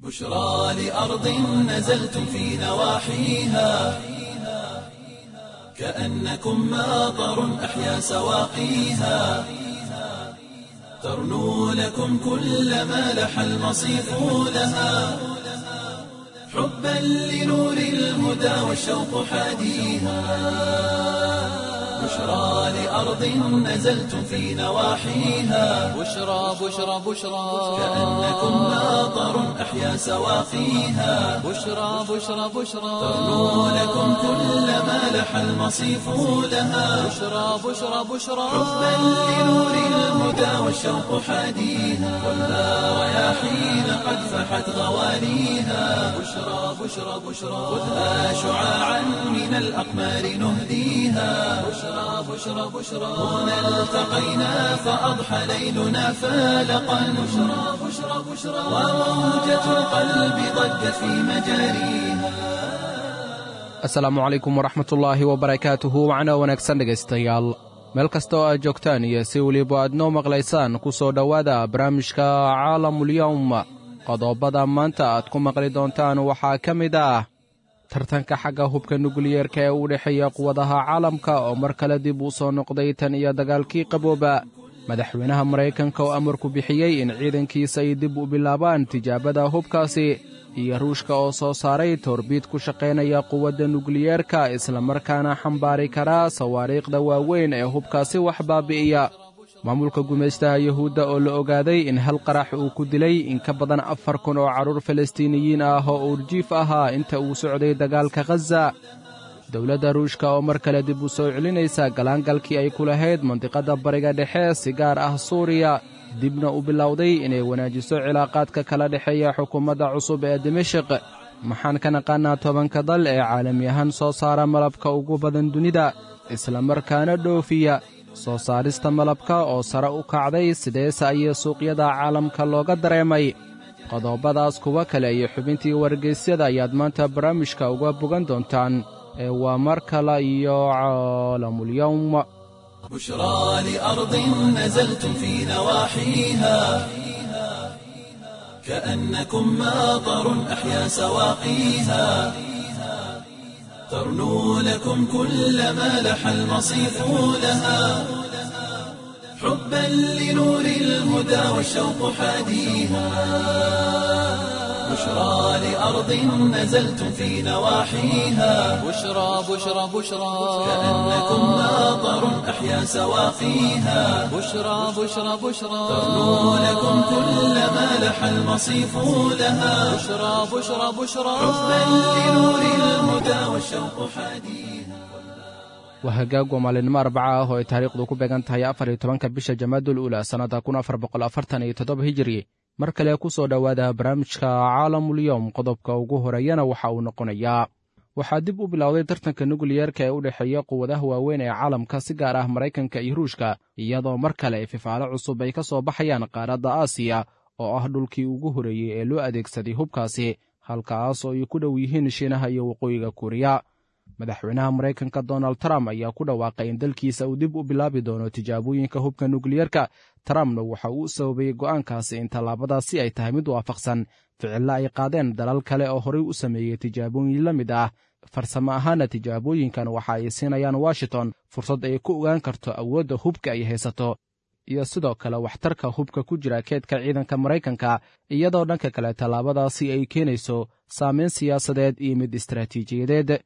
بشرى لأرض نزلتم في نواحيها، كأنكم ماطر أحيا سواقيها، ترنو لكم كل ما لح المصيف لها، حبا لنور الهدى والشوق حاديها. بشرى لأرض نزلتم في نواحيها، بشرى بشرى بشرى، كأنكم ماطر أحيا سواقيها، بشرى بشرى بشرى، ترنو لكم كل ما لح المصيف لها، بشرى بشرى بشرى، حبا لنور الهدى والشوق حاديها. خذها رياحين قد فحت غوانيها، بشرى بشرى بشرى، خذها شعاعا من الأقمار نهديها. بشرى بشرى بشرى، هنا التقينا فأضحى ليلنا فالقا. بشرى بشرى بشرى، وموجة القلب ضجت في مجاريها. Asalaamu calaykum waraxmatullaahi wabarakaatuhu. Wacna wanaagsan dhegaystayaal, meel kasta oo aad joogtaan iyo si weliba aad noo maqlaysaan, ku soo dhowaada barnaamijka Caalamulyowm. Qodobada maanta aad ku maqli doontaan waxaa ka mid ah tartanka xagga hubka nukliyeerka ee u dhexeeya quwadaha caalamka oo mar kale dib u soo noqday tan iyo dagaalkii qabooba, madaxweynaha Maraykanka oo amarku bixiyey in ciidankiisa ay dib u bilaabaan tijaabada hubkaasi, iyo Ruushka oo soo saaray toorbiid ku shaqaynaya quwadda nukliyeerka islamarkaana xambaari karaa sawaariikhda waaweyn ee hubkaasi wax baabi'iya, maamulka gumaystaha Yuhuudda oo la ogaaday in hal qarax uu ku dilay in ka badan 4000 oo carruur Falastiiniyiin ah oo uurjiif ahaa inta uu socday dagaalka Khaza, dowladda Ruushka oo mar kale dib u soo celinaysa galaangalkii ay ku lahayd mandiqadda Bariga Dhexe, si gaar ah Suuriya, dibna u bilowday inay wanaajiso cilaaqaadka kala dhexeeya xukuumadda cusub ee Dimashik. Maxaan ka naqaannaa 10-ka dal ee caalami ahaan soo saara malabka ugu badan dunida islamarkaana dhoofiya? Soo saarista malabka oo sare u kacday, sideese ayay suuqyada caalamka looga dareemay? Qodobadaas, kuwo kale iyo xubintii wargeysyada ayaad maanta barnaamijka uga bogan doontaan ee waa mar kale iyo Caalamulyowm. بشرى لأرض نزلتم في نواحيها، كأنكم ماطر أحيا سواقيها، ترنو لكم كل ما لح المصيف لها، حبا لنور الهدى والشوق حاديها. بشرى لأرض نزلتم في نواحيها، بشرى بشرى بشرى، كأنكم ماطر أحيا سواقيها، بشرى بشرى بشرى، ترنو لكم كل ما لح المصيف لها، بشرى بشرى بشرى، حبا لنور الهدى والشوق حاديها. Waa hagaag, waa maalinimo Arbaca ah oo ay taariikhdu ku beegan tahay 14-ka bisha Jamaadul Uula sannadda 1447 Hijiri. Mar kale ku soo dhowaada barnaamijka Caalamulyowm. Qodobka ugu horeeyana waxa uu noqonayaa: waxaa dib u bilowday tartanka nukliyeerka ee u dhexeeya quwadaha waaweyn ee caalamka, si gaar ah Maraykanka iyo Ruushka, iyadoo mar kale fifaalo cusub ay ka soo baxayaan qaaradda Aasiya oo ah dhulkii ugu horeeyey ee loo adeegsaday hubkaasi, halkaas oo ay ku dhow yihiin Shiinaha iyo Waqooyiga Kuuriya. Madaxweynaha Maraykanka Donald Trump ayaa ku dhawaaqay in dalkiisa uu dib u bilaabi doono tijaabooyinka hubka nukliyeerka. Trumpna waxa uu sababayey go'aankaasi in tallaabadaasi ay tahay mid waafaqsan ficilla ay qaadeen dalal kale oo horey u sameeyey tijaabooyin la mid ah. Farsamo ahaana tijaabooyinkan waxa ay siinayaan Washington fursad ay ku ogaan karto awoodda hubka ay haysato iyo sidoo kale waxtarka hubka ku jira keedka ciidanka Maraykanka, iyadoo dhanka kale tallaabadaasi ay keenayso saameyn siyaasadeed iyo mid istaraatiijiyadeed.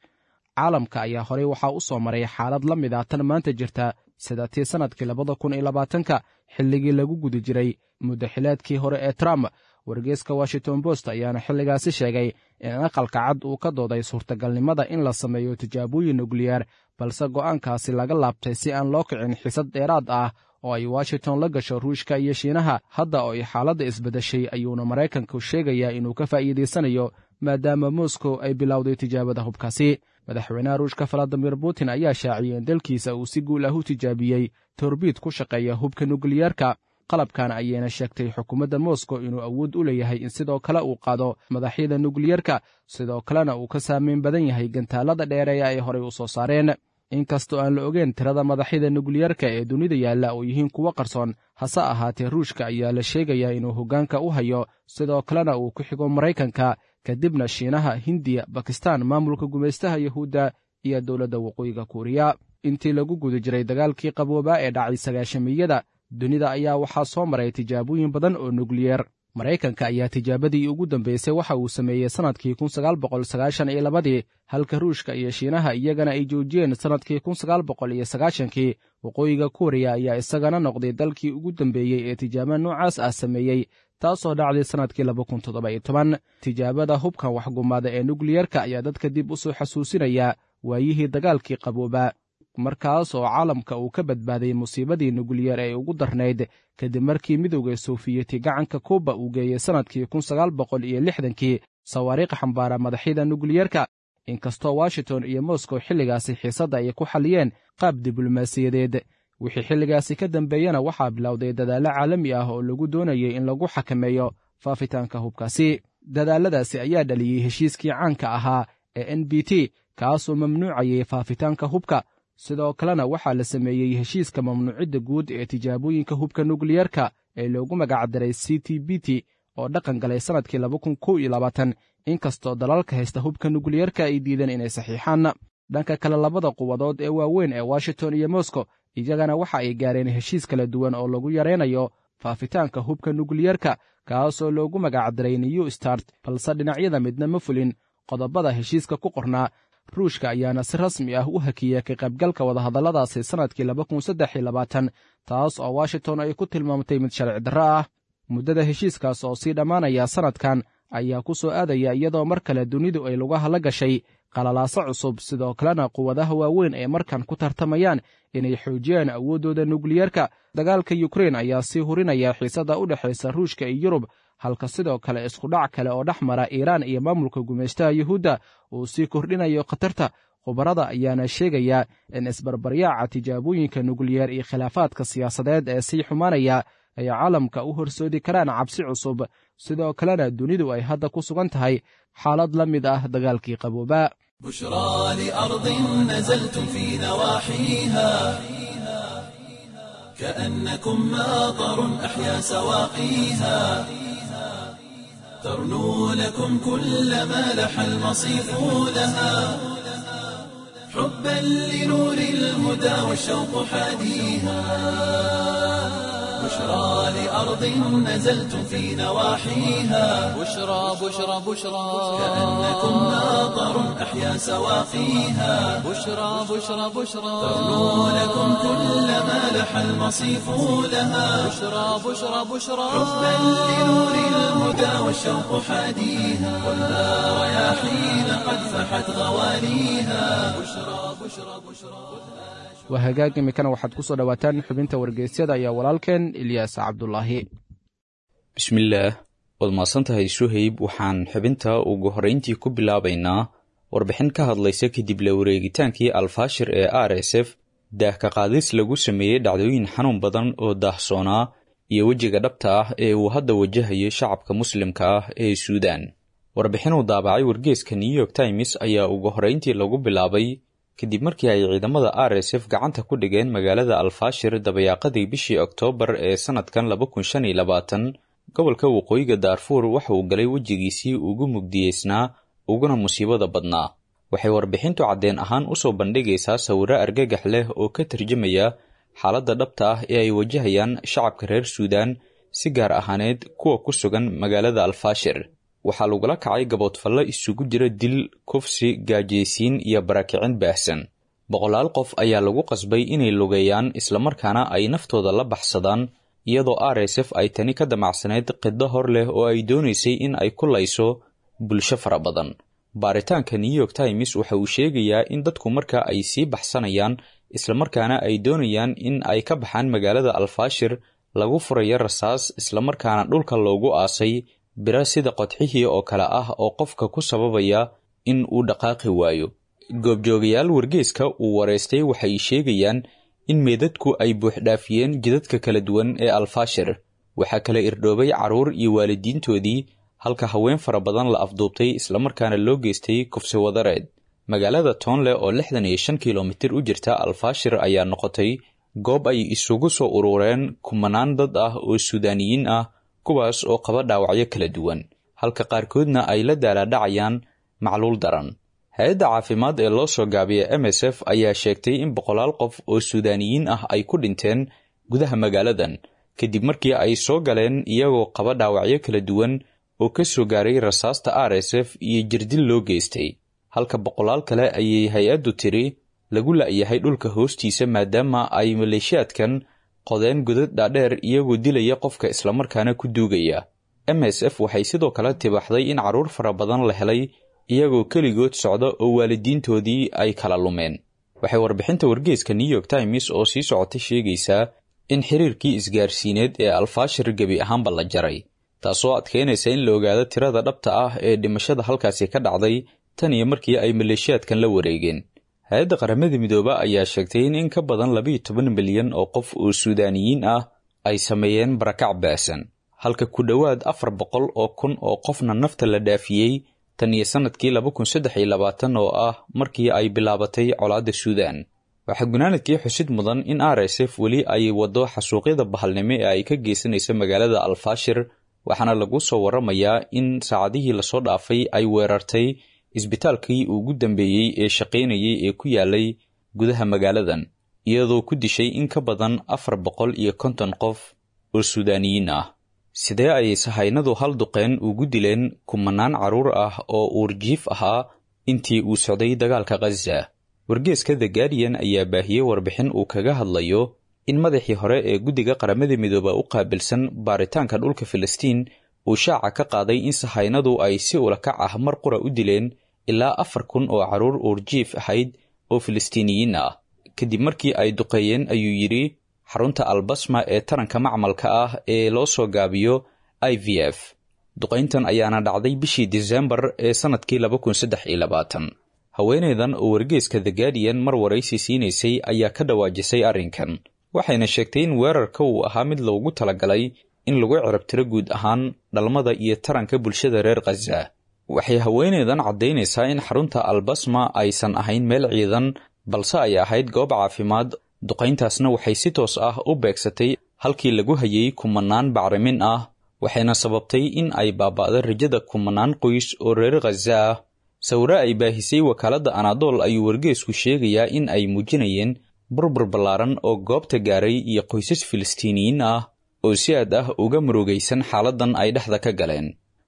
Caalamka ayaa horey waxaa u soo maray xaalad la mid ah tan maanta jirta, sida tii sannadkii 2020-ka, xilligii lagu guda jiray muddaxileedkii hore ee Trump. Wargeyska Washington Post ayaana xilligaasi sheegay in Aqalka Cad uu ka dooday suurtagalnimada in la sameeyo tijaabooyin nukliyeer, balse go'aankaasi laga laabtay si aan loo kicin xisad dheeraad ah oo ay Washington la gasho Ruushka iyo Shiinaha. Hadda oo ay xaaladda isbeddeshay ayuuna Maraykanku sheegayaa inuu ka faa'iidaysanayo, maadaama Moscow ay bilowday tijaabada hubkaasi. Madaxweynaha Ruushka Valadimir Putin ayaa shaaciyey in dalkiisa uu si guul ah u tijaabiyey torbiid ku shaqeeya hubka nukliyeerka. Qalabkan ayayna sheegtay xukuumadda Moscow inuu awood u leeyahay in sidoo kale uu qaado madaxyada nukliyerka, sidoo kalena uu ka saameyn badan yahay gantaalada dheereeya ay horey u soo saareen. Inkastoo aan la ogeyn tirada madaxyada nukliyerka ee dunida yaalla oo yihiin kuwo qarsoon, hase ahaatee Ruushka ayaa la sheegayaa inuu hoggaanka u hayo, sidoo kalena uu ku xigo Maraykanka, kadibna Shiinaha, Hindiya, Bakistan, maamulka gumaystaha Yahuudda iyo dowladda Waqooyiga Kuuriya. Intii lagu guda jiray dagaalkii qaboobaa ee dhacay sagaashamiyada, dunida ayaa waxaa soo maray tijaabooyin badan oo nukliyeer. Maraykanka ayaa tijaabadii ugu dambaysay waxa uu sameeyey sannadkii 1992-dii, halka Ruushka iyo Shiinaha iyagana ay joojiyeen sannadkii 1990-kii. Waqooyiga Kuuriya ayaa isagana noqday dalkii ugu dambeeyey ee tijaabo noocaas ah sameeyey, taasoo dhacday sannadkii 2017. Tijaabada hubkan waxgumaada ee nukliyerka ayaa dadka dib u soo xasuusinaya waayihii dagaalkii qaboobaa, markaas oo caalamka uu ka badbaaday musiibadii nukliyeer ee ugu darnayd, kadib markii Midowda Soofiyeti gacanka Kuuba uu geeyey sannadkii 1960-kii sawaariikh xambaara madaxyada nukliyerka. Inkastoo Washington iyo Moscow xilligaasi xiisadda ay ku xalliyeen qaab diblomaasiyadeed, wixii xilligaasi ka dambeeyena waxaa bilowday dadaallo caalami ah oo lagu doonayay in lagu xakameeyo faafitaanka hubkaasi. Dadaalladaasi ayaa dhaliyey heshiiskii caanka ahaa ee NBT, kaasoo mamnuucayay faafitaanka hubka. Sidoo kalena waxaa la sameeyey heshiiska mamnuucidda guud ee tijaabooyinka hubka nukliyerka ee loogu magacdaray CTBT, oo dhaqan galay sannadkii 2021, inkastoo dalalka haysta hubka nukliyerka ay diideen inay saxiixaan. Dhanka kale, labada quwadood ee waaweyn ee Washington iyo Moscow iyagana waxa ay gaareen heshiis kala duwan oo lagu yaraynayo faafitaanka hubka nukliyerka, kaasoo loogu magacdaray New Start, balse dhinacyada midna ma fulin qodobada heshiiska ku qornaa. Ruushka ayaana si rasmi ah u hakiyey ka qaybgalka wadahadalladaasi sannadkii 2023, taas oo Washington ay ku tilmaamtay mid sharci darro ah. Muddada heshiiskaas oo sii dhammaanaya sannadkan ayaa ku soo aadaya iyadoo mar kale dunidu ay lugaha la gashay qalalaaso cusub, sidoo kalena quwadaha waaweyn ee markan ku tartamayaan inay xoojiyaan awooddooda nukliyerka. Dagaalka Yukrein ayaa sii hurinaya xiisadda u dhexaysa Ruushka iyo Yurub, halka sidoo kale iskudhac kale oo dhex mara Iiraan iyo maamulka gumaystaha Yuhuudda uu sii kordhinayo khatarta. Khubarada ayaana sheegaya in isbarbaryaaca tijaabooyinka nukliyeer iyo khilaafaadka siyaasadeed ee sii xumaanaya ay caalamka u horsoodi karaan cabsi cusub, sidoo kalena dunidu ay hadda ku sugan tahay xaalad la mid ah dagaalkii qaboobaa. بشرى لأرض نزلتم في نواحيها، كأنكم ماطر أحيا سواقيها، ترنو لكم كل ما لح المصيف لها، حبا لنور الهدى والشوق حاديها. بشرى لأرض نزلتم في نواحيها، بشرى بشرى بشرى، كأنكم ماطر أحيا سواقيها، بشرى بشرى بشرى، ترنو لكم كل ما لح المصيف لها، بشرى بشرى بشرى، حبا لنور الهدى والشوق حاديها، ولا رياحين قد فحت غواليها. بشرى بشرى بشرى. Waa hagaag. Imikana waxaad ku soo dhowaataan xubinta wargeysyada ayaa walaalkeen Ilyaas Cabdulaahi. Bismillaah, waad mahadsantahay Suhayb. Waxaan xubinta ugu horrayntii ku bilaabaynaa warbixin ka hadlaysa kadib la wareegitaankii Alfaashir ee RSF, daahka qaadis lagu sameeyey dhacdooyin xanuun badan oo daahsoonaa iyo wejiga dhabta ah ee uu hadda wajahayo shacabka muslimka ah ee Suudaan. Warbixin uu daabacay wargeeska New York Times ayaa ugu horrayntii lagu bilaabay kadib markii ay ciidamada RSF gacanta ku dhigeen magaalada Alfaashir dabayaaqadii bishii Oktoobar ee sannadkan 2025, gobolka waqooyiga Daarfuur waxa uu galay wejigiisii ugu mugdiyeysnaa uguna musiibada badnaa. Waxay warbixintu caddeen ahaan usoo bandhigaysaa sawirro argagax leh oo ka tarjamaya xaaladda dhabta ah ee ay wajahayaan shacabka reer Suudaan, si gaar ahaaneed kuwa ku sugan magaalada Alfaashir. Waxaa lagula kacay gaboodfallo isugu jira dil, kufsi, gaajaysiin iyo barakicin baahsan. Boqolaal qof ayaa lagu qasbay inay lugeeyaan islamarkaana ay naftooda la baxsadaan, iyadoo RSF ay tani ka damacsaneyd qiddo hor leh oo ay doonaysay in ay ku layso bulsho fara badan. Baaritaanka New York Times waxa uu sheegayaa in dadku marka ay sii baxsanayaan islamarkaana ay doonayaan in ay ka baxaan magaalada Alfaashir lagu furayo rasaas, islamarkaana dhulka loogu aasay biro sida qodxihii oo kale ah oo qofka ku sababaya in uu dhaqaaqi waayo. Goobjoogayaal wargeeska uu wareystay waxay sheegayaan in meedadku ay buuxdhaafiyeen jidadka kala duwan ee Alfaashir. Waxaa kala irdhoobay carruur iyo waalidiintoodii, halka haween fara badan la afduubtay islamarkaana loo geystay kufsi wadareed. Magaalada Toonle oo 65 kilomitir u jirta Alfaashir ayaa noqotay goob ay isugu soo urureen kumanaan dad ah oo Suudaaniyiin ah, kuwaas oo qaba dhaawacyo kala duwan, halka qaarkoodna ay la daalaadhacayaan macluul daran. Hay-adda caafimaad ee loo soo gaabiya MSF ayaa sheegtay in boqolaal qof oo Suudaaniyiin ah ay ku dhinteen gudaha magaaladan kadib markii ay soo galeen iyagoo qaba dhaawacyo kala duwan oo ka soo gaaray rasaasta RSF iyo jirdil loo geystay, halka boqolaal kale ayay hay-addu tiri lagu la'yahay dhulka hoostiisa maadaama ay maleeshiyaadkan qodeen godad dhaadheer iyagoo dilaya qofka islamarkaana ku duugaya. MSF waxay sidoo kale tibaxday in carruur fara badan la helay iyagoo keligood socda oo waalidiintoodii ay kala lumeen. Waxay warbixinta wargeyska New York Times oo sii socotay sheegaysaa in xiriirkii isgaarsiineed ee Alfaashir gebi ahaanba la jaray, taasoo adkeynaysa in la ogaado tirada dhabta ah ee dhimashada halkaasi ka dhacday tan iyo markii ay maleeshiyaadkan la wareegeen. Hay-adda Qaramada Midooba ayaa sheegtay in in ka badan 12 milyan oo qof oo Suudaaniyiin ah ay sameeyeen barakac baasan, halka ku dhowaad 400,000 oo qofna nafta la dhaafiyey tan iyo sannadkii 2023 oo ah markii ay bilaabatay colaadda Suudaan. Waxaa gunaanadkii xusid mudan in RSF weli ay waddo xasuuqyada bahalnimo ee ay ka geysanaysa magaalada Alfaashir, waxaana lagu soo waramayaa in saacadihii lasoo dhaafay ay weerartay isbitaalkii ugu dambeeyey ee shaqaynayay ee ku yaalay gudaha magaaladan, iyadoo ku dishay in ka badan 450 qof oo Suudaaniyiin ah. Sidee ayay sahaynadu hal duqeen ugu dileen kumanaan carruur ah oo uurjiif ahaa intii uu socday dagaalka Khaza? Wargeeska The Guardian ayaa baahiyey warbixin uu kaga hadlayo in madaxii hore ee guddiga Qaramada Midooba u qaabilsan baaritaanka dhulka Filistiin uu shaaca ka qaaday in sahaynadu ay si ulakac ah mar qura u dileen ilaa 4000 oo carruur uurjiif ahayd oo Filistiiniyiin ah, kadib markii ay duqeeyeen, ayuu yidhi, xarunta Albasma ee taranka macmalka ah ee loo soo gaabiyo IVF. Duqayntan ayaana dhacday bishii Disembar ee sannadkii 2023. Haweeneydan oo wargeyska The Guardian mar waraysi siinaysay ayaa ka dhawaajisay arrinkan, waxayna sheegtay in weerarka uu ahaa mid loogu talagalay in lagu cirabtiro guud ahaan dhalmada iyo taranka bulshada reer Khaza. Waxay haweeneydan caddaynaysaa in xarunta Albasma aysan ahayn meel ciidan, balse ay ahayd goob caafimaad. Duqayntaasna waxay si toos ah u beegsatay halkii lagu hayay kumanaan bacrimin ah, waxayna sababtay in ay baaba'do rajada kumanaan qoys oo reer Khaza ah. Sawiro ay baahisay wakaaladda Anadol ayuu wargeysku sheegayaa in ay muujinayeen burbur ballaaran oo goobta gaaray iyo qoysas Filistiiniyiin ah oo si aad ah uga murugaysan xaaladdan ay dhexda ka galeen.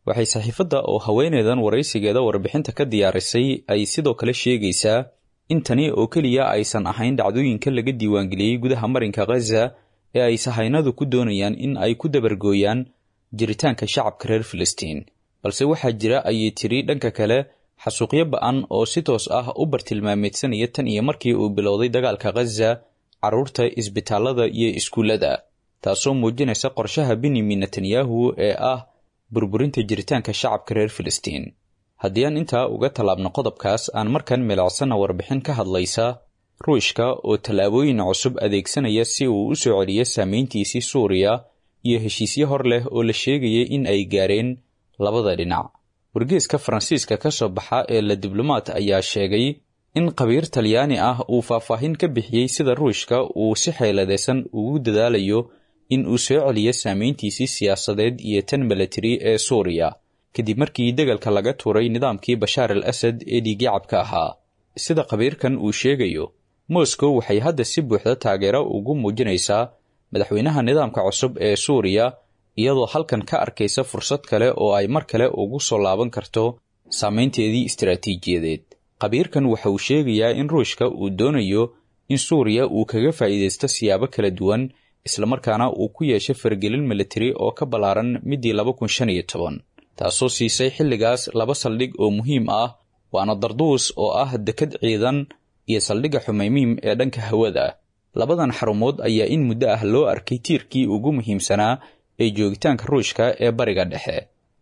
Waxay saxiifadda oo haweeneydan waraysigeeda warbixinta ka diyaarisay ay sidoo kale sheegaysaa in tani oo keliya aysan ahayn dhacdooyinka laga diiwaangeliyey gudaha marinka Khaza ee ay sahaynadu ku doonayaan in ay ku dabargooyaan jiritaanka shacabka reer Filistiin, balse waxaa jira, ayay tiri, dhanka kale xasuuqyo ba-an oo si toos ah u bartilmaameedsanaya tan iyo markii uu bilowday dagaalka Khaza carruurta, isbitaallada iyo iskuullada, taasoo muujinaysa qorshaha Benyamin Netanyahu ee ah burburinta jiritaanka shacabka reer Filistiin. Haddii aan intaa uga tallaabno qodobkaas, aan markan milicsana warbixin ka hadlaysa Ruushka oo tallaabooyin cusub adeegsanaya si uu u soo celiyo saameyntiisii Suuriya iyo heshiisyo hor leh oo la sheegayay in ay gaareen labada dhinac. Wargeeska Faransiiska ka soo baxa ee La Diblomaat ayaa sheegay in khabiir Talyaani ah uu faahfaahin ka bixiyey sida Ruushka uu si xeeladaysan ugu dadaalayo in uu soo celiyo saameyntiisii siyaasadeed iyo tan milatari ee Suuriya kadib markii dagaalka laga tuuray nidaamkii Bashaar al Asad ee dhiigyacabka ahaa. Sida khabiirkan uu sheegayo, Moscow waxay hadda si buuxda taageero ugu muujinaysaa madaxweynaha nidaamka cusub ee Suuriya, iyadoo halkan ka arkaysa fursad kale oo ay mar kale ugu soo laaban karto saameynteedii istaraatiijiyadeed. Khabiirkan waxa uu sheegayaa in Ruushka uu doonayo in Suuriya uu kaga faa'iidaysto siyaabo kala duwan, islamarkaana uu ku yeesho faragelin militari oo ka ballaaran midii 2015, taasoo siisay xilligaas laba saldhig oo muhiim ah, waana Darduus oo ah dekad ciidan iyo saldhigga Xumeymiim ee dhanka hawada. Labadan xarumood ayaa in muddo ah loo arkay tiirkii ugu muhiimsanaa ee joogitaanka Ruushka ee Bariga Dhexe.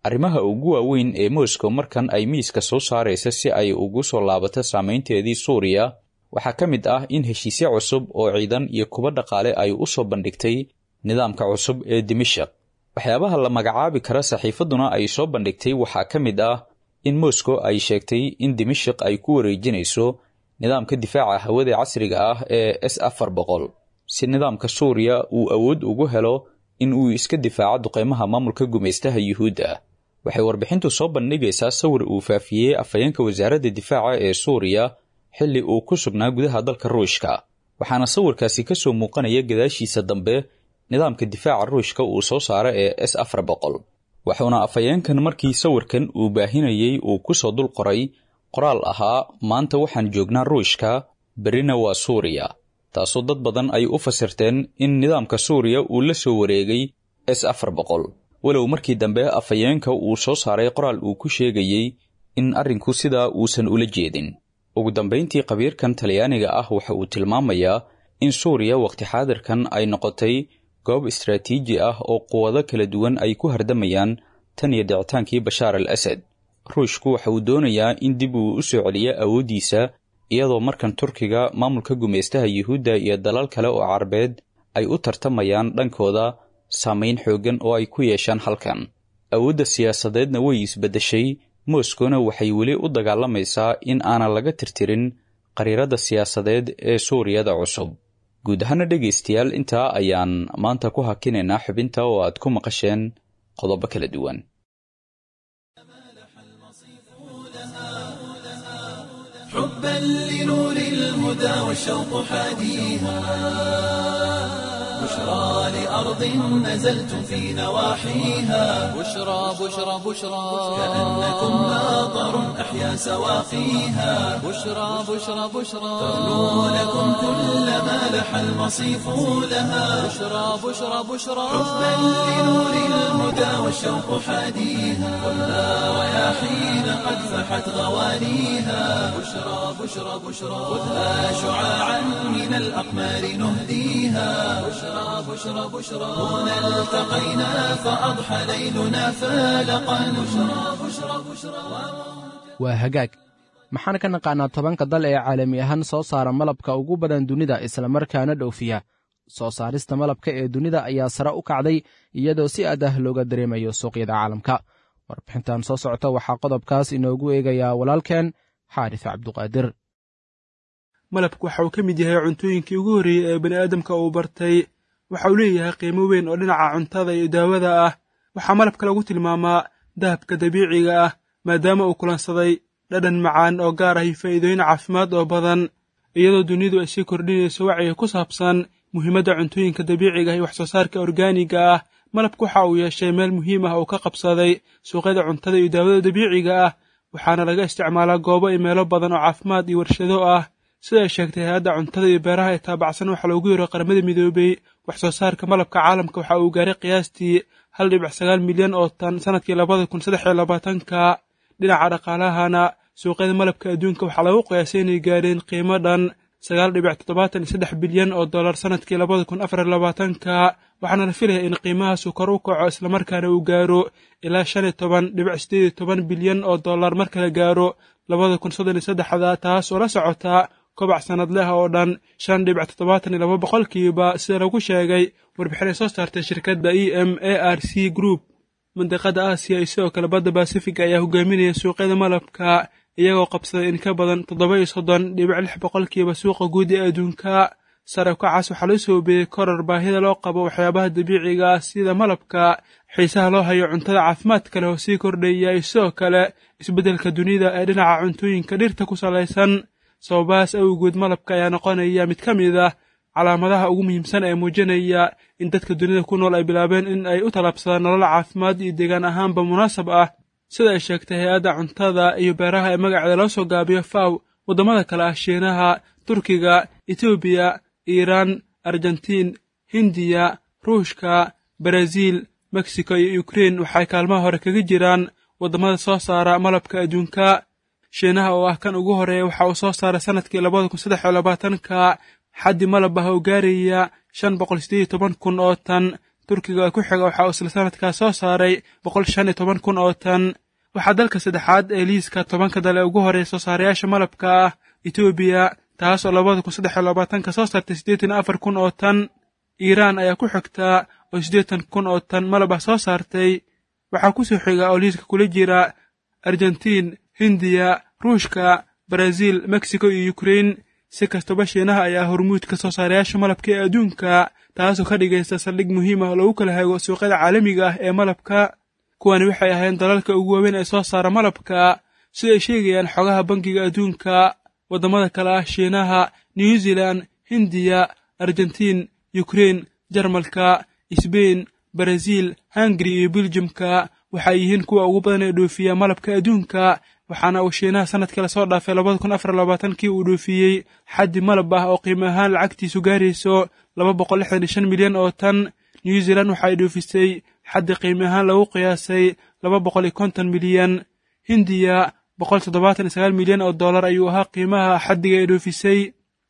Arrimaha ugu waaweyn ee Moscow markan ay miiska soo saaraysa si ay ugu soo laabato saameynteedii Suuriya waxaa ka mid ah in heshiisyo cusub oo ciidan iyo kuwo dhaqaale ay u soo bandhigtay nidaamka cusub ee Dimashaq. Waxyaabaha la magacaabi kara saxiifadduna ay soo bandhigtay waxaa ka mid ah in Moscow ay sheegtay in Dimashq ay ku wareejinayso nidaamka difaaca hawada casriga ah ee S-400 si nidaamka Suuriya uu awood ugu helo in uu iska difaaco duqeymaha maamulka gumaystaha Yuhuudda. Waxay warbixintu soo bandhigaysaa sawir uu faafiyey afhayeenka wasaaradda difaaca ee Suuriya xilli uu ku sugnaa gudaha dalka Ruushka, waxaana sawirkaasi ka soo muuqanaya gadaashiisa dambe nidaamka difaaca Ruushka uu soo saaro ee S-400. Wuxuuna afhayeenkan markii sawirkan uu baahinayey uu ku soo dul qoray qoraal ahaa: maanta waxaan joognaa Ruushka, berrina waa Suuriya, taasoo dad badan ay u fasirteen in nidaamka Suuriya uu la soo wareegay S-400, walow markii dambe afhayeenka uu soo saaray qoraal uu ku sheegayey in arrinku sidaa uusan ula jeedin. Ugu dambayntii, khabiirkan Talyaaniga ah waxa uu tilmaamayaa in Suuriya waqti xaadirkan ay noqotay goob istaraatiiji ah oo quwado kala duwan ay ku hardamayaan tan iyo dhicitaankii Bashaar al Asad. Ruushku waxa uu doonayaa in dib uu u soo celiyo awooddiisa, iyadoo markan Turkiga, maamulka gumaystaha Yuhuudda iyo dalal kale oo Carabeed ay u tartamayaan dhankooda saameyn xooggan oo ay ku yeeshaan halkan. Awoodda siyaasadeedna way isbeddeshay, Moskowna waxay weli u dagaalamaysaa in aanan laga tirtirin qariirada siyaasadeed ee Suuriyada cusub. Guud ahaana dhegaystayaal, intaa ayaan maanta ku hakinaynaa xubinta oo aad ku maqasheen qodobo kala duwan. حبا لنور الهدى والشوق حاديها، بشرى لأرض نزلت في نواحيها، بشرى بشرى بشرى، كأنكم ماطر أحيا سواقيها، بشرى بشرى بشرى، ترنو لكم كل ما لح المصيف لها، بشرى بشرى بشرى، حبا لنور الهدى والشوق حاديها، خذها رياحين قد فحت غوانيها، بشرى بشرى بشرى، خذها شعاعا من الأقمار نهديها، بشرى بشرى بشرى، هنا التقينا فأضحى ليلنا فالقا، بشرى بشرى بشرى. Waa hagaag. Maxaan ka naqaanaa 10ka dal ee caalami ahaan soo saara malabka ugu badan dunida islamarkaana dhoofiya? Soo saarista malabka ee dunida ayaa sare u kacday, iyadoo si aad ah looga dareemayo suuqyada caalamka. Warbixintan soo socota waxaa qodobkaas inoogu eegayaa walaalkeen Xaaris Cabduqaadir. Malabku waxa uu ka mid yahay cuntooyinkii ugu horreeyey ee bani'aadamka uu bartay. Waxa uu leeyahay qiimo weyn oo dhinaca cuntada iyo daawada ah. Waxaa malabka lagu tilmaamaa dahabka dabiiciga ah, maadaama uu kulansaday dhadhan macaan oo gaar ah iyo faa'iidooyin caafimaad oo badan. Iyadoo dunidu ay sii kordhinayso wacyiga ku saabsan muhiimadda cuntooyinka dabiiciga ah iyo wax soo saarka orgaaniga ah, malabku waxa uu yeeshay meel muhiim ah oo ka qabsaday suuqyada cuntada iyo daawada dabiiciga ah, waxaana laga isticmaalaa goobo iyo meelo badan oo caafimaad iyo warshado ah. Sida ay sheegtay hay-adda cuntada iyo beeraha ee taabacsan waxaa loogu yeero Qaramada Midoobey, wax soo saarka malabka caalamka waxa uu gaaray qiyaastii 1.9 milyan oo tan sanadkii 2023-ka. Dhinaca dhaqaalahana, suuqyada malabka adduunka waxaa lagu qiyaasay inay gaareen qiimo dhan 9.73 bilyan oo dollar sanadkii 2024-ka, waxaana la filaya in qiimahaasu kor u kaco islamarkaana uu gaaro ilaa 15.18 bilyan oo dollar marka la gaaro 2033-da, taas oo la socota kobac sanadleh oo dhan 5.72%, sida lagu sheegay warbixin ay soo saartay shirkadda EMARC Group. Mandiqada Aasiya iyo sidoo kale badda Baasifiga ayaa hogaaminaya suuqyada malabka, iyagoo qabsaday in ka badan 37.6% suuqa guud ee adduunka. Sare ukacaas waxaa loo soobeeyey koror baahida loo qabo waxyaabaha dabiiciga ah sida malabka, xiisaha loo hayo cuntada caafimaadka leh oo sii kordhaya, iyo sidoo kale isbeddelka dunida ee dhinaca cuntooyinka dhirta ku salaysan. Sababahaas awgood, malabka ayaa noqonaya mid ka mid ah calaamadaha ugu muhiimsan ee muujinaya in dadka dunida ku nool ay bilaabeen in ay u tallaabsadaan nolol caafimaad iyo deegaan ahaanba munaasab ah. Sida ay sheegtay hay-adda cuntada iyo beeraha ee magaceeda loo soo gaabiyo FAW, waddamada kale ah Shiinaha, Turkiga, Etoobiya, Iiraan, Argentiin, Hindiya, Ruushka, Baraaziil, Mexico iyo Ukrein waxay kaalmaha hore kaga jiraan waddamada soo saara malabka adduunka. Shiinaha oo ah kan ugu horeeya waxa uu soo saaray sanadkii 2023-ka xaddi malab ah oo gaaraya 518,000 oo tan. Turkiga ku xiga waxa uu isla sanadkaas soo saaray 115,000 oo tan. Waxaa dalka saddexaad ee liiska 10-ka dal ee ugu horeeya soo saarayaasha malabka ah Etoobiya, taas oo 2023-ka soo saartay 84,000 oo tan. Iiraan ayaa ku xigtaa oo 80,000 oo tan malab ah soo saartay. Waxaa kusoo xiga oo liiska kula jira Argentiin, Hindiya, Ruushka, Baraaziil, Mexico iyo Yukrain. Si kastaba, Shiinaha ayaa hormuudka soo saarayaasha malabka ee adduunka, taasoo ka dhigaysa saldhig muhiim ah oo lagu kala hago suuqyada caalamiga ah ee malabka. Kuwani waxay ahayn dalalka ugu waaweyn ee soo saara malabka, sida ay sheegayaan xogaha Bangiga Adduunka. Waddamada kale ah Shiinaha, New Zealand, Hindiya, Argentiin, Yukrain, Jarmalka, Sbain, Baraziil, Hungari iyo Beljimka waxay yihiin kuwa ugu badan ee dhoofiya malabka adduunka. Waxaana uu Shiinaha sanadkii lasoo dhaafay 2024-kii uu dhoofiyey xaddi malab ah oo qiimo ahaan lacagtiisu gaarayso 265 milyan oo tan. New Zealand waxa ay dhoofisay xaddi qiimo ahaan lagu qiyaasay 250 milyan. Hindiya 179 milyan oo dollar ayuu ahaa qiimaha xaddiga ay dhoofisay.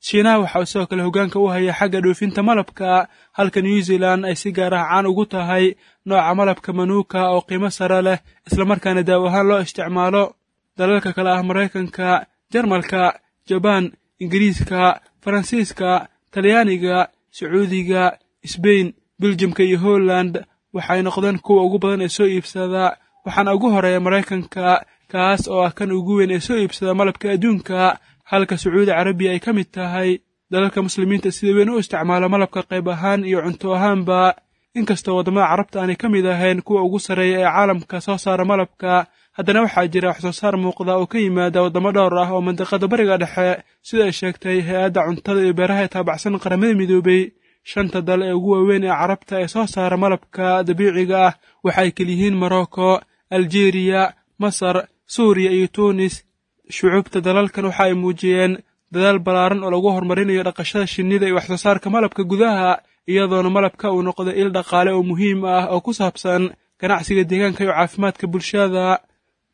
Shiinaha waxa uu sidoo kale hoggaanka u haya xagga dhoofinta malabka, halka New Zealand ay si gaar ah caan ugu tahay nooca malabka manuuka oo qiimo sare leh, islamarkaana daawo ahaan loo isticmaalo. Dalalka kale ah Maraykanka, Jarmalka, Jabaan, Ingiriiska, Faransiiska, Talyaaniga, Sacuudiga, Sbain, Beljimka iyo Holland waxay noqdeen kuwa ugu badan ee soo iibsada, waxaana ugu horeeya Maraykanka, kaas oo ah kan ugu weyn ee soo iibsada malabka adduunka, halka Sacuudi Carabiya ay ka mid tahay dalalka Muslimiinta sida weyn u isticmaala malabka qayb ahaan iyo cunto ahaanba. Inkastoo waddamada Carabta aanay ka mid ahayn kuwa ugu sarreeya ee caalamka soo saara malabka, haddana waxaa jira wax soo saar muuqda oo ka yimaada waddamo dhowr ah oo mandiqada Bariga Dhexe, sida ay sheegtay Hay-adda Cuntada iyo Beeraha ee taabacsan Qaramada Midoobay. Shanta dal ee ugu waaweyn ee Carabta ee soo saara malabka dabiiciga ah waxay keliyihiin Morocco, Aljeeriya, Masar, Suuriya iyo Tuunis. Shucuubta dalalkan waxa ay muujiyeen dadaal ballaaran oo lagu horumarinayo dhaqashada shinnida iyo wax soo saarka malabka gudaha, iyadoona malabka uu noqday il dhaqaale oo muhiim ah oo ku saabsan ganacsiga deegaanka iyo caafimaadka bulshada.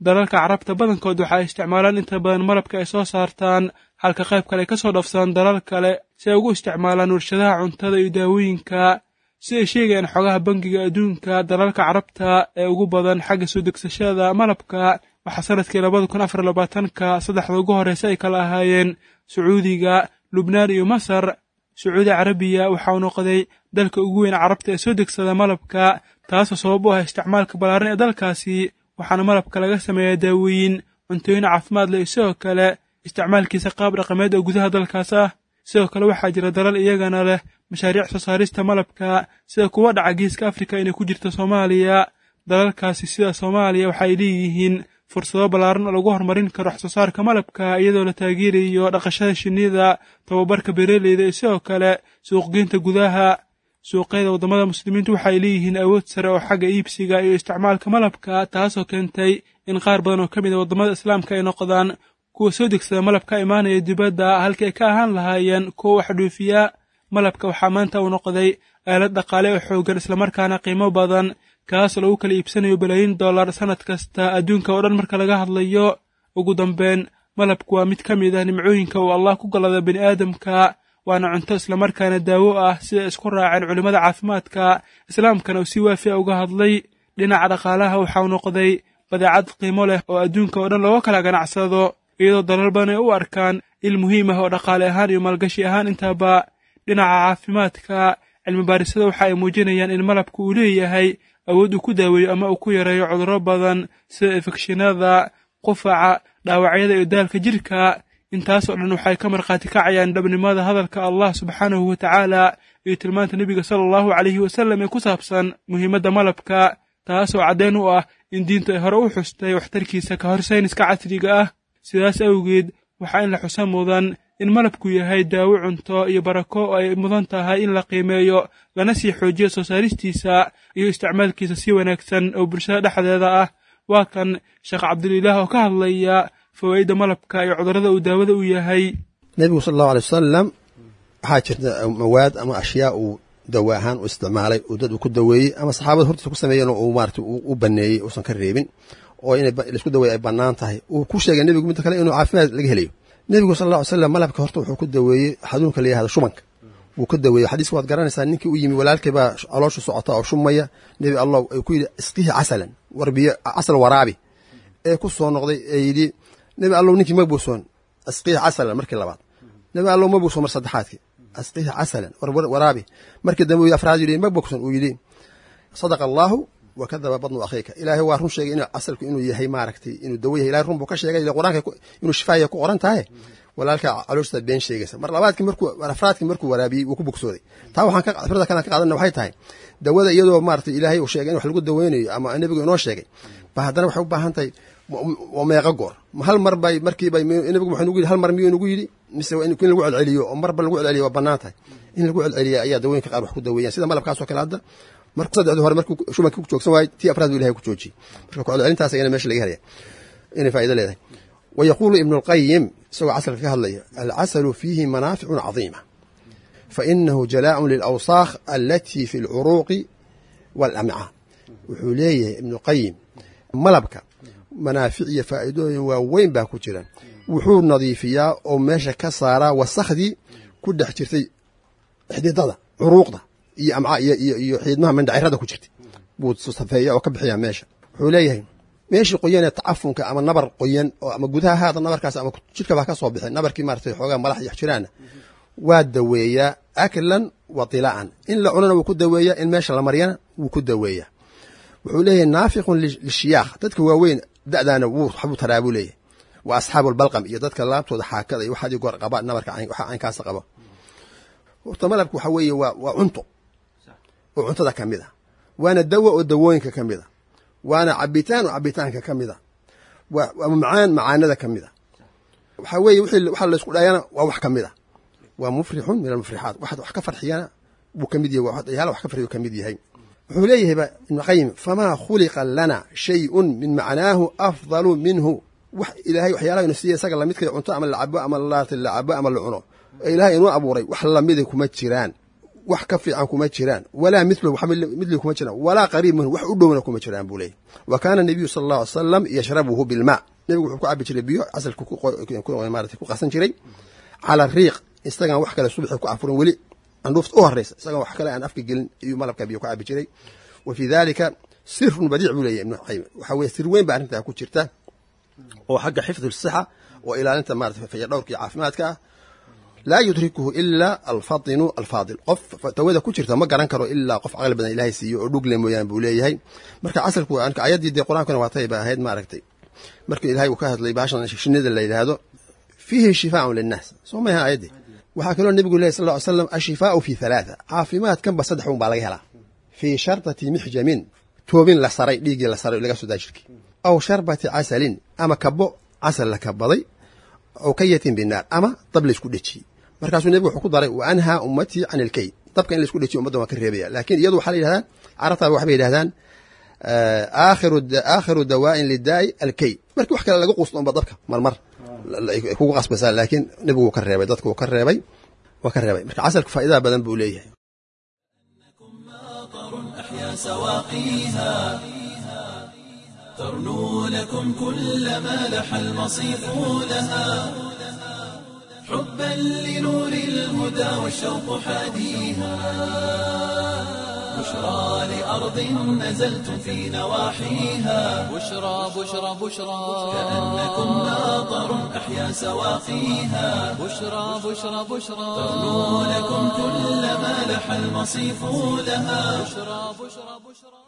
Dalalka Carabta badankood waxa ay isticmaalaan inta badan malabka ay soo saartaan, halka qayb kale ay ka soo dhafsadaan dalal kale si ay ugu isticmaalaan warshadaha cuntada iyo daawooyinka. Si ay sheegayaan xogaha Bangiga Adduunka, dalalka Carabta ee ugu badan xagga soo degsashada malabka waxaa sanadkii 2024-ka saddexda ugu horreysa ay kala ahaayeen Sacuudiga, Lubnaan iyo Masar. Sacuudi Carabiya waxa uu noqday dalka ugu weyn Carabta ee soo degsada malabka, taasoo sabab u ah isticmaalka ballaaran ee dalkaasi, waxaana malabka laga sameeyaa daawooyin, cuntooyin caafimaad leh iyo sidoo kale isticmaalkiisa qaab dhaqameed oo gudaha dalkaas ah. Sidoo kale waxaa jira dalal iyagana leh mashaariic soo saarista malabka, sida kuwa dhaca Geeska Afrika inay ku jirto Soomaaliya. Dalalkaasi sida Soomaaliya waxay leeyihiin fursado ballaaran oo lagu horumarin karo wax soo saarka malabka, iyadoo la taageerayo dhaqashada shinnida, tababarka beeraleyda iyo sidoo kale suuqgeynta gudaha. Suuqyada waddamada Muslimiintu waxay leeyihiin awood sare oo xagga iibsiga iyo isticmaalka malabka, taasoo keentay in qaar badan oo ka mid a waddamada Islaamka ay noqdaan kuwa soo degsada malabka imaanaya dibadda halkii ay ka ahaan lahaayeen kuwa wax dhoofiya. Malabka waxaa maanta uu noqday aalad dhaqaale oo xooggan, islamarkaana qiimo badan, kaas lagu kala iibsanayo balaayiin dollar sannad kasta adduunka oo dhan marka laga hadlayo. Ugu dambeyn, malabku waa mid ka mid ah nimcooyinka uu Allah ku gallada bini aadamka, waana cunto islamarkaana daawo ah, sida isku raaceen culimmada caafimaadka Islaamkana uu si waafiya uga hadlay. Dhinaca dhaqaalaha waxauu noqday badeecad qiimo leh oo adduunka oo dhan looga kala ganacsado, iyadoo dalal badan ay u arkaan il muhiim ah oo dhaqaale ahaan iyo maalgashi ahaan intaba. Dhinaca caafimaadka, cilmibaarisada waxa ay muujinayaan in malabku uu leeyahay awood uu ku daaweeyo ama uu ku yareeyo cudurro badan sida infekshinada, qufaca, dhaawacyada iyo daalka jirka. Intaasoo dhan waxay ka markhaati kacayaan dhabnimada hadalka Allah subxaanahu wa tacaala iyo tilmaanta Nebiga sala Allahu calayhi wasallam ee ku saabsan muhiimadda malabka, taasoo caddeyn u ah in diintu ay hore u xustay waxtarkiisa ka hor sayniska casriga ah. Sidaas awgeed, waxaa in la xusa mudan in malabku yahay daawo, cunto iyo barako oo ay mudan tahay in la qiimeeyo lana sii xoojiyo soo saaristiisa iyo isticmaalkiisa si wanaagsan oo bulshada dhexdeeda ah. Waa kan Sheekh Cabdulilaah oo ka hadlaya fawaa'idda malabka iyo cudurrada uu daawada u yahay. Nebigu sal Allahu alay wasalam waxaa jirta mawaad ama ashyaa uu dawa ahaan u isticmaalay, uu dad uu ku daweeyey ama saxaabada hortiisa ku sameeyeen oo uu maarata u baneeyey, uusan ka reebin oo inay laisku daweeye ay bannaan tahay uu ku sheegay nebigu. Midda kale inuu caafimaad laga helayo, nebigu sal alla ly slam malabka horta wuxuu ku daweeyey xanuunka la yihahdo shubanka wuu ka daweeyey. Xadiiska waad garanaysaa, ninkii u yimi walaalkay baa calooshu socota oo shumaya, Nebi Allah ay ku yidhi isqihi casalan, warbiyo casal waraabi. Ee ku soo noqday ee yidhi Nebi Allow ninkii ma buusoon, asqihi casalan markii labaad. Nebi Allow ma buusoon mar saddexaadkii, asqihi casalan waraabi. Markii dambe uu afraad yidhi ma bogson, uu yidhi sadaqa Allaahu Wa kadaba badnu akhiika. Ilaahay waa run sheegay inuu casalku inuu yahay maaragtay inuu dawo yahay. Ilahay run buu ka sheegay ila qur-aanka inuu shifaaya ku qoran tahay. Walaalka calooshiisa been sheegaysa. Mar labaadkii markuu afraadkii markuu waraabiyey wuu ku bogsooday. Taa waxaan ka fikrada kalan ka qaadana waxay tahay dawada iyadoo maaragtay ilaahay uu sheegay in wax lagu daweynayo ama nebigu inoo sheegay, ba haddana waxay u baahan tahay waa meeqa goor? Ma hal mar bay markiiba nebigu wuxuu nagu yidhi hal mar miyuu nagu yidhi, mise in lagu celceliyo? Oo marba lagu celceliyo waa bannaan tahay. In lagu celceliya ayaa dawooyinka qaar wax ku daweeyaan, sida malabkaas oo kale. Hadda markuu saddexdii hore markuu shubankii ku joogsan waayey, tii afraad buu ilahay ku joojiyey. Marka ku celcelintaas ayana meesha laga helaya inay faa'iido leedahay. Wayaquulu Ibnu Alqayim isagoo casalka ka hadlaya: alcasalu fiihi manaaficun cadiima, fainahu jalaaءun lilawsaakh alatii fi alcuruuqi waalamcaa. Wuxuu leeyahay Ibnu Qayim malabka manaafic iyo faa'iidooyin waaweyn baa ku jira. Wuxuu nadiifiyaa oo meesha ka saaraa wasakhdii ku dhex jirtay xididada curuuqda iyo amcaa iyo xiidmaha mindhacirada ku jirtay buu safeeya oo ka bixiyaa meesha. Wuxuu leeyahay meeshii qoyan ee tacafunka ama nabar qoyan oo ama gudaha haada nabarkaas ama jidhka baa ka soo bixin nabarkii maaragtay xoogaa malax iyo jiraana waa daweeyaa, aklan wa tilaa'an. In la cunana wuu ku daweeyaa, in meesha la maryana wuu ku daweeyaa. Wuxuu leeyahay naafiqun lishiyaakh, dadka waaweyn da'daana wuu waxbuu taraa buu leeyahay, wa asxaabu albalqam iyo dadka laabtooda xaakada iyo waxaadii goor qaba nabarka waxa caynkaasa qaba. Horta malabka waxa weeye waa cunto oo cuntada ka mid a, waana dawo oo dawooyinka ka mid a, waana cabitaan oo cabitaanka ka mid a, waa macaan macaanada ka mid a. Waxaa weeye wixii waxa laysku dhayana waa wax ka mid a, waa mufrixun min almufrixaat, wax wax ka farxiyana buu ka mid yahay, waa waxyaala wax ka farxiyo ka mid yahay. Wuxuu leeyahay ba Ibnu Qayim: famaa khuliqa lana shayun min macnaahu afdalu minhu. Wax ilaahay waxyaalaha inu siiya isaga lamidka cunto ama la cabo ama laarta la cabo ama la cuno ee ilaahay inuu abuuray wax lamida kuma jiraan, wax ka fiican kuma jiraan, walaa mithlu wax midli kuma jiraan, walaa qariib minhu wax u dhowna kuma jiraan buu leeyahay. Wa kaana nabiyu sala Allahu alay salam yashrabuhu bilmaa. Nebigu wuxuu ku cabi jiray biyo, casalku maarata ku qasan jiray cala riiq, isagaan wax kale subaxii ku afurin, weli candhuufta u horeysa isagaan wax kale aan afka gelin ayuu malabka biyo ku cabi jiray. Wa fii dalika sirun badiic buu leeyahay Ibnu Qayim. Waxaa weye sir weyn baa arrintaa ku jirta oo xagga xifdi sixa oo ilaalinta maarata fayadhowrka iyo caafimaadka ah, laa yudrikuhu ila alfatinu alfaadil. Qof tawada ku jirta ma garan karo ilaa qof caqli badan ilaahay siiyo oo dhugle mooyaan buu leeyahay. Marka casalku ayaddii dee qur-aankuna waa tay ba ahayd maaragtay markii ilaahay uu ka hadlay baashan shinida la yidhaahdo, fiihi shifaaun linnaas, soo maha ayaddii? Waxaa kaloo nebigu lehy sal ly slam: ashifaau fi halaatha, caafimaadkanba saddex un baa laga helaa: fii sharbati mixjamin, toobin la saray, dhiiggii la saray laga soo daa jirkii, aw sharbati casalin, ama kabo casal la kabaday, aw kayatin binaar, ama dab laysku dhejiyey. Markaasuu nebigu wuxuu ku daray: wa anhaa ummatii can ilkay. Dabka in laysku dhejiyo ummadda waan ka reebaya. Laakiin iyadu waxaa la yidhahdaa carabtaaba waxbay yidhahdaan aakhiru dawaa'in lidaa'i alkay. Markii wax kale laga quusto unba dabka marmar ay kugu qasbaysaa, laakiin nebigu wuu ka reebay dadka, wuu ka reebay, waa ka reebay. Marka casalku faa'iidada badan buu leeyahay. أحيا سواقيها ترنو لكم كل ما لح المصيف لها حبا لنور الهدى والشوق حاديها. بشرى لأرض نزلتم في نواحيها بشرى بشرى بشرى كأنكم ماطر أحيا سواقيها بشرى بشرى بشرى ترنو لكم كل ما لح المصيف لها. بشرى بشرى بشرى.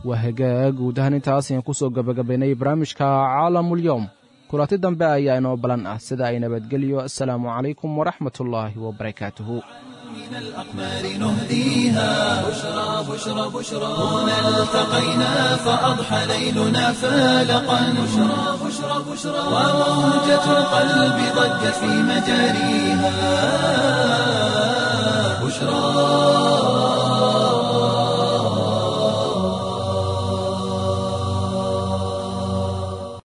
Waa hagaag, guud ahaan intaas ayaan ku soo gabagabaynay barnaamijka Caalamulyoom. Kulanti dambe ayaa inoo balan ah, sida ay nabadgelyo. Assalaamu calaykum waraxmatullaahi wabarakaatuhu. من الأقمار نهديها بشرى بشرى بشرى. هنا التقينا فأضحى ليلنا فالقا. بشرى بشرى بشرى وموجة القلب ضجت في مجاريها. بشرى.